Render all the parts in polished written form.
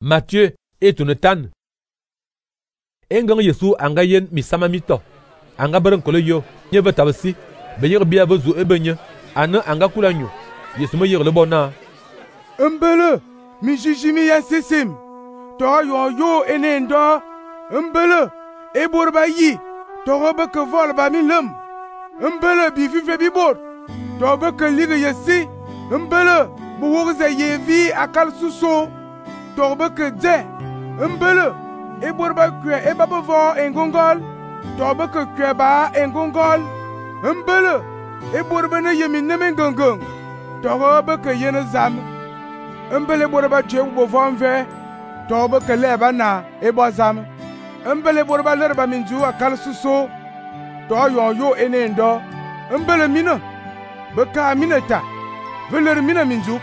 Matthieu etune tan. Engang Yesu anga yen misama mito. Anga beren kolo yo. Nye ve tabasi. Be yir biya ve zu ebenye. Ane anga kulanyo. Yesu me yir le bona. Mbele. Mi jijimi ya sesim. To yo ene ndo. Mbele. E borba yi. To robe ke vol ba mi lem. Mbele bi vive bi bot. To be ke lige yesi. Mbele. Bu wogze yevi akal suso. To be ke de. Mbele. E borba kwe e babo vo engongol. To be ke kwe ba engongol. Mbele. E borba ne yemi neme ngongong. To robe ke yene zam. Mbele borba tue bo vo nve. To be ke leba na e bo zam. Mbele borba lerba minju akal suso. To yo ene ndo. Mbele mina. Beka mineta. Veler mina minju.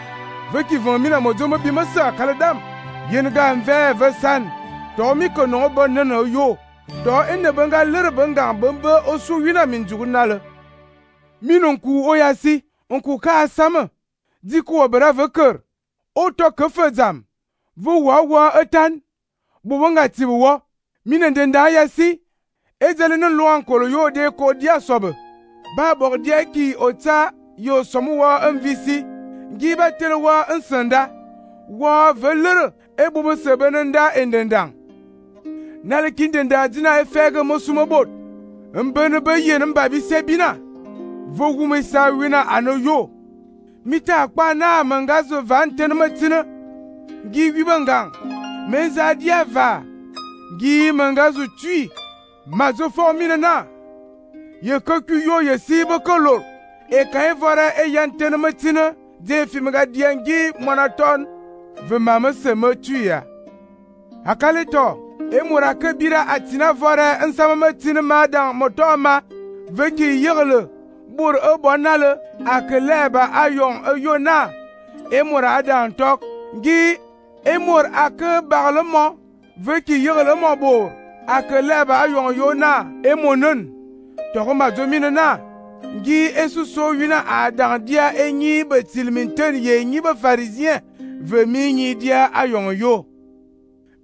Veki von mina mojomo bimasa akal dam. Yen ga nve ve san. To mi ko no bo nana yo. To ene benga lerba nga bombe osu wina minju nale. Minonku oyasi. Onku ka sama. Diku obera veker. O to ke fezam. Vo wa etan. Bubonga tibuwa. Minendenda yasi. Ezelene lo ankolo yo de ko dia sobe. Ba bor dia ki ota yo somuwa mvisi. Giba telewa nsanda. Wa velere ebubu sebenenda endendang. Nale kindenda dina efege mosumobot. Mbene be yen mbabi sebina. Vogume sa wina ano yo. Mita akpa na mangazo vanten matina. Gi wibangang. Meza dia va. Gi mangazo tui. Mazo formine na. Ye koku yo ye sibo kolor. E kae vora e yanten matina. De fimiga diangi monaton. Ve mama se me tuya. Akale to. E murake bira atina vora nsama matina madang motoma. Veki yirle. Bur e bonale. Akeleba ayon e yona. E mura dan tok. Gi. E mur ake barlemo. Veki yirle mo bor. Akeleba ayon yona. E monon. Toko mazomine na. Gi esuso wina adan dia enyi betilminten ye nyi be pharisien. Ve mi nyi dia ayon yo.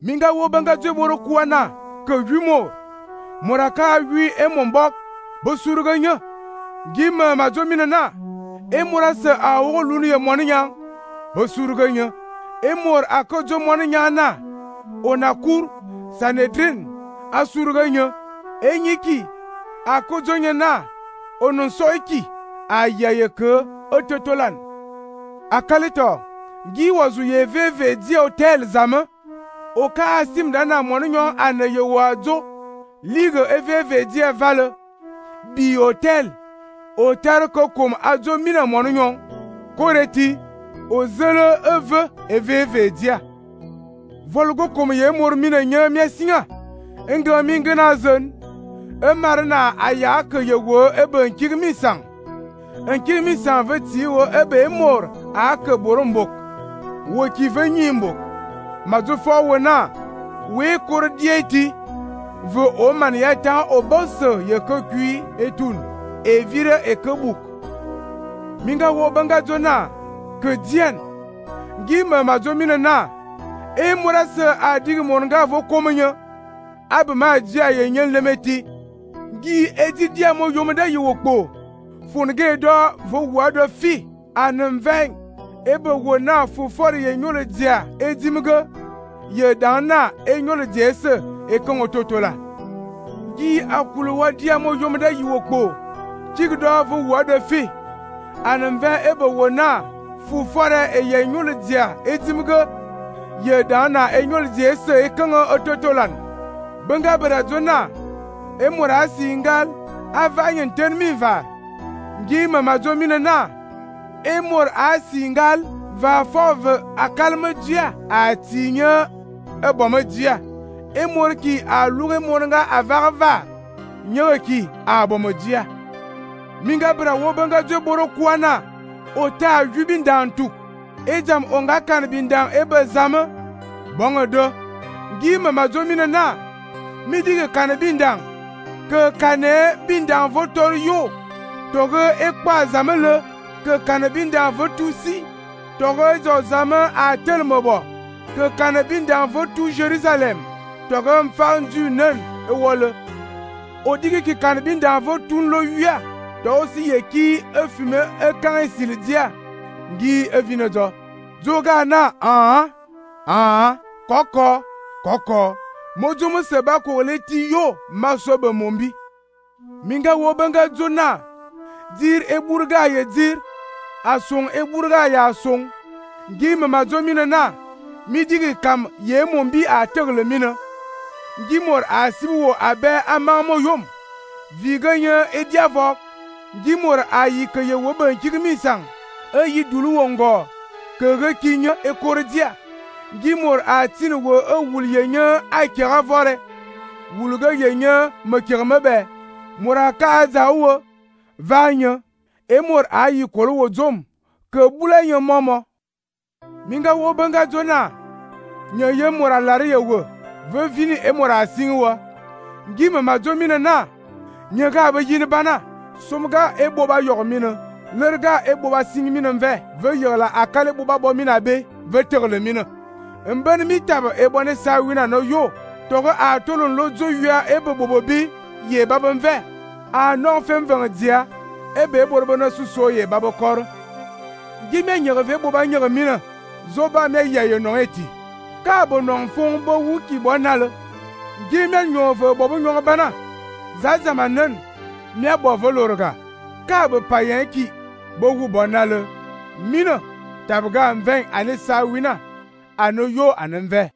Minga wo banga jeboro kuana. Ke wimo. Muraka wi e mombok. Bosuruganya. Gi me mazomine na. E murase a wo lunu ye moninyang. Bosuruganya. E mor akojo moninyang na. Onakur. Sanedrin. Asuruganya. E nyiki. Akojo nye na. Onon soiki. Ayaye ke. Ototolan. Akalito. Gi wazu ye veve di hotel zame. Oka asim dana moninyon ane ye wazo. Ligue veve di vale. Bi hotel. Hotel kokom azo mina moninyon. Koreti. Ozele veve dia. Volgo kom ye mor mina nye miesinga. Enga mingena zen. Marina aya ke ye wo ebe nkirmisang. Nkirmisang veti wo ebe mor ake borombok. Wo ki venyimbok. Mazufo wona. We kor dieti. Ve oman yata obose ye ke kui etun. E vire e ke buk. Minga wo banga zona. Ke dien. Gime mazomine na. E morase adig monga vo komenye. Abe ma dia ye nyen lemeti. Gi edi dia mo yomeda yiwokpo. Funge do vo wado fi. Anemveng. Ebe wona fu for ye nyole dia. Edimge. Ye dana e nyole dia se. E kongo totola. Gi akulu wadia mo yomeda yiwokpo. Chigdo vo wado fi. Anemveng ebe wona fu for e ye nyole dia. Edimge. Ye dana e nyole dia se. E kongo ototolan. Benga berazona. E mura singal avanyen ten mi va. Gi mamazo mine na. E mur a singal va fove a kalme dia a tinye e bome dia. E mur ki a luge moringa a varva. Nye ki a bome dia. Minga bra wobenga je boro kuana. Ota jubindan tuk. E jam onga kan bindan ebe zame. Bonge do. Gi mamazo mine na. Midige kan bindan. Que kane bindan votor yo. Toge ekpa zamele. Que kane bindan votusi. Toge zo zame a tel mobo. que kan bin dan vo tout Jérusalem togam fan du nen e wole o digi ki kan bin dan vo tun lo yua to si ye ki e fume e kan e sildia ngi e vinodo zoga na koko mojumu seba ko leti yo masobe mombi minga wo banga zona dir e burga ye dir asung e burga ya asung ngi mama zomina na mi digi kam ye mombi a tegle mina ngi mor a sibo abe amamo yom viganya e diavok ngi mor a yi ke ye wo ban kigmi sang e yi dulu wongo ke ge kinyo e kordia ngi mor a tin wo e wul yenya a kera vore wulga yenya me kirme be mora ka zawo vanya e mor a yi kolo wo zom ke bula yen momo minga wo banga zona nya ye mora lare ye wo ve vini e mora singwa ngi mama zomina na nya ga ba yin bana somga e boba yogmina lerga e boba singmina ve yola akale boba bomina be ve tegle mina mben mi taba e bone sa wina no yo togo a tolon lo zo yua e bobo bi ye babon ve a non fem vang dia e be borbo na suso ye babo kor gi me nyere ve boba nyere mina zo ba me ye no eti ka bo non fon bo wuki bonal gi me nyo ve bobo nyo bana za zamanen me bo volorga ka bo payen ki bo wu bonal mina tabga mven ane sa wina ano yo anenve